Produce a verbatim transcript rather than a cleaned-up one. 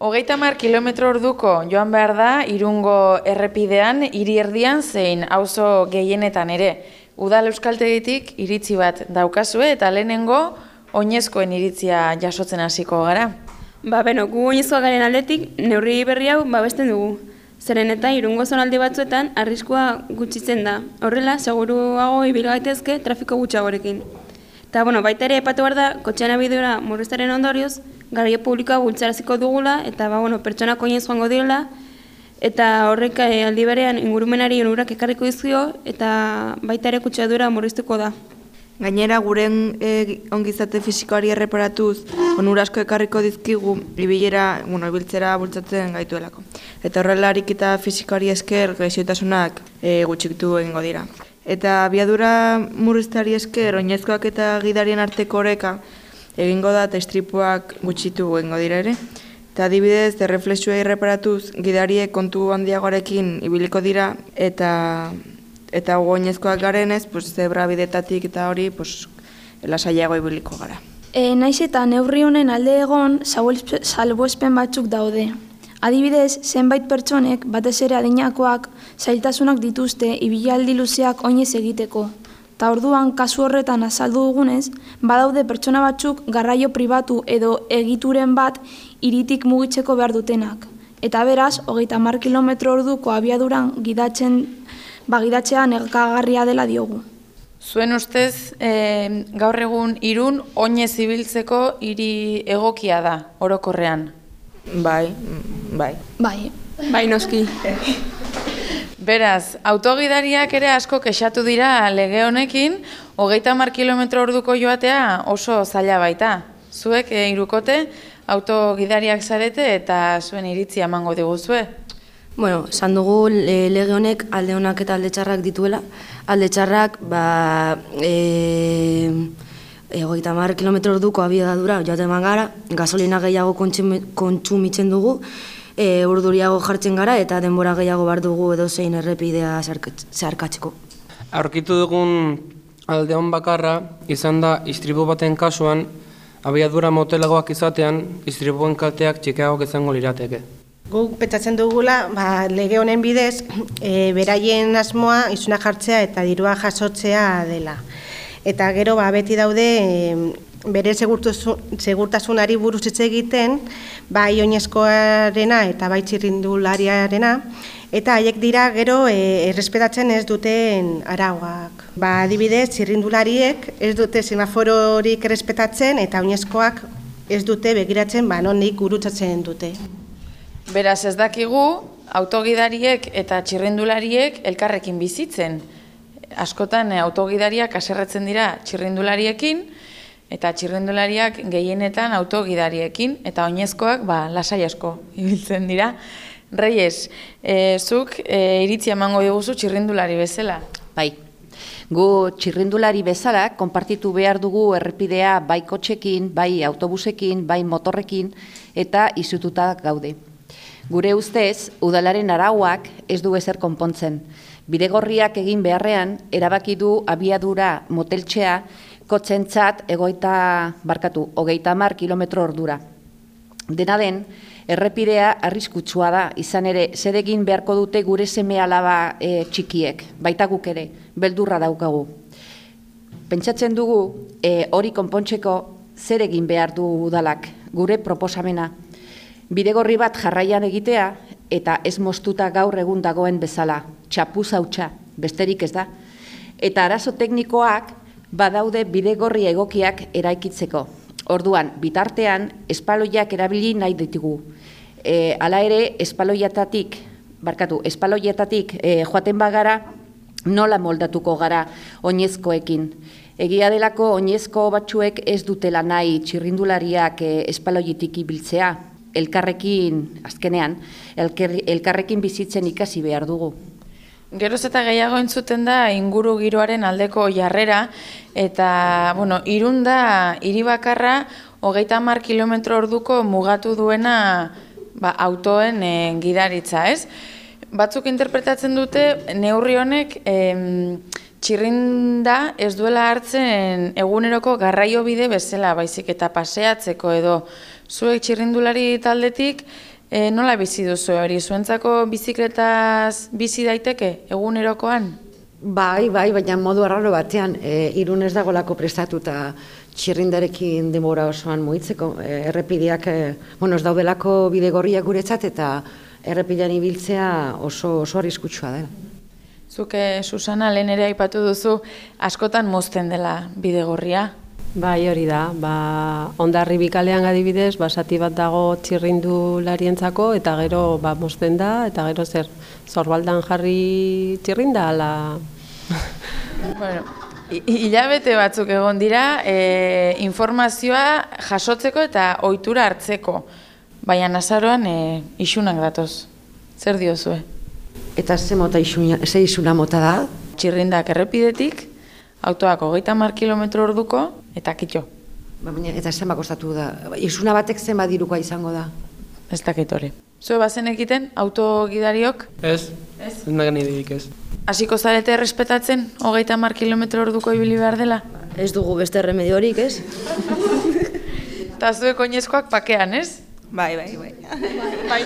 Hogeita hamar kilometro orduko joan behar da Irungo errepidean, hiri erdian zein auzo gehienetan ere. Udal euskaltegitik iritzi bat daukazue eta lehenengo oinezkoen iritzia jasotzen hasiko gara. Ba, beno, gu oinezkoa garen aldetik neurri berri hau babesten dugu. Zeren eta Irungo zonalde batzuetan arriskua gutxitzen da. Horrela, seguruago ibil gaitezke trafiko gutxiagorekin. Eta, bueno, baita ere epatu behar da, kotxean abidura murriztaren ondorioz, garraio publikoa bultzaraziko dugula, eta, ba, bueno, pertsonak oinez joango direla, eta horrek aldi berean ingurumenari onurak ekarriko dizkio, eta baita ere kutsadura murriztuko da. Gainera, guren e, ongizate fisikoari erreparatuz, onura asko ekarriko dizkigu, ibilera, bueno, ibiltzera bultzatzen gaituelako. Eta horrela ariketa fisikoari esker gaixotasunak e, gutxitu egingo dira. Eta abiadura murrizteari esker, oinezkoak eta gidarien arteko oreka egingo da eta istripuak gutxitu egingo dira ere. Eta adibidez, erreflexua erreparatuz, gidariek kontu handiagoarekin ibiliko dira eta eta oinezkoak garenez, pues, zebra bidetatik eta hori pues, lasaiago ibiliko gara. E, naiz eta neurri honen alde egon salbuespen batzuk daude. Adibidez, zenbait pertsonek, batez ere adinakoak, zailtasunak dituzte ibilaldi luzeak oinez egiteko. Ta orduan, kasu horretan azaldu dugunez, badaude pertsona batzuk garraio pribatu edo egituren bat hiritik mugitzeko behar dutenak. Eta beraz, hogeita hamar kilometro orduko abiaduran gidatzen, bagidatzea nekagarria dela diogu. Zuen ustez, e, gaur egun Irun oinez ibiltzeko hiri egokia da, orokorrean. Bai, bai. Bai. Bai, noski. Beraz, autogidariak ere asko kexatu dira lege honekin, hogeita hamar kilometro orduko joatea oso zaila baita. Zuek e, irukote autogidariak zarete eta zuen iritzia emango diguzue. Bueno, esan dugu e, lege honek alde honak eta alde txarrak dituela. Alde txarrak, ba, e, hogeita hamar kilometro orduko abiadura joaten gara, gasolina gehiago kontsumitzen dugu, e, urduriago jartzen gara eta denbora gehiago behar dugu edozein errepidea zeharkatzeko. Aurkitu dugun alde hon bakarra izan da istripu baten kasuan, abiadura motelagoak izatean, istripuen kalteak txikiagoak izango lirateke. Guk pentsatzen dugula, ba, lege honen bidez, e, beraien asmoa isuna jartzea eta dirua jasotzea dela. Eta gero ba, beti daude e, bere segurtasunari buruz hitz egiten, bai oinezkoarena eta bai txirrindulariarena, eta haiek dira gero e, errespetatzen ez duten arauak. Ba, adibidez, txirrindulariek ez dute semafororik errespetatzen eta oinezkoak ez dute begiratzen ba, nondik gurutzatzen dute. Beraz, ez dakigu, autogidariek eta txirrindulariek elkarrekin bizitzen. Askotan autogidariak haserretzen dira txirrindulariekin eta txirrindulariak gehienetan autogidariekin eta oinezkoak ba, lasai asko ibiltzen dira. Reyes, e, zuk e, iritzia emango diguzu txirrindulari bezala? Bai. Gu txirrindulari bezala konpartitu behar dugu errepidea bai kotxekin, bai autobusekin, bai motorrekin eta izututa gaude. Gure ustez, udalaren arauak ez du ezer konpontzen. Bidegorriak egin beharrean, erabaki du abiadura moteltxea kotxentzat egoita barkatu, hogeita hamar kilometro ordura. Dena den, errepidea arriskutsua da, izan ere, zer egin beharko dute gure seme alaba e, txikiek, baita guk ere, beldurra daukagu. Pentsatzen dugu, e, hori konpontzeko zer egin behar du udalak, gure proposamena. Bidegorri bat jarraian egitea eta ez moztuta gaur egun dagoen bezala, txapuz hautsa, besterik ez da. Eta arazo teknikoak badaude bidegorri egokiak eraikitzeko. Orduan, bitartean, espaloiak erabili nahi ditugu. E, hala ere, espaloietatik, barkatu, espaloietatik e, joaten bagara, nola moldatuko gara oinezkoekin. Egia delako oinezko batzuek ez dutela nahi txirrindulariak e, espaloietik ibiltzea. Elkarrekin, azkenean, elker, elkarrekin bizitzen ikasi behar dugu. Geroz eta gehiago entzuten da inguru giroaren aldeko jarrera eta, bueno, Irun da hiri bakarra hogeita hamar kilometro orduko mugatu duena ba, autoen e, gidaritza, ez? Batzuk interpretatzen dute neurri honek em, txirrinda ez duela hartzen eguneroko garraio bide bezala, baizik eta paseatzeko edo Zuek txirrindulari taldetik e, nola bizi duzu hori? Zuentzako bizikletaz bizi daiteke egunerokoan? Bai, bai, baina modu arraro batean, e, Irun ez dagolako prestatuta txirrindarekin denbora osoan mugitzeko. E, errepideak, e, bueno, ez daudelako bidegorriak guretzat eta errepidean ibiltzea oso, oso arriskutsua dela. Zuke, Susana, lehen ere aipatu duzu, askotan mozten dela bidegorria. Bai, hori da. Ba, Hondarribi kalean adibidez, basati bat dago txirrindularientzako eta gero ba, mozten da, eta gero zer, zorbaldan jarri txirrinda, ala... Bueno, hilabete batzuk egon dira, e, informazioa jasotzeko eta ohitura hartzeko, baina azaroan e, isunak datoz. Zer diozue? Eta ze mota isuna, ze isuna mota da? Txirrindak errepidetik, autoak hogeita hamar kilometro orduko, eta kitxo. Ba, baina, eta zenba kostatu da? Isuna batek zenba dirukoa izango da? Ez dakit hori. Zue bazen ekiten, autogidariok? Ez, ez nagan idirik ez. Hasiko zarete errespetatzen, hogeita hamar kilometro orduko ibili behar dela? Ez dugu beste remediorik, ez? Eta zuek oinezkoak pakean, ez? Bai, bai, bai. Bai.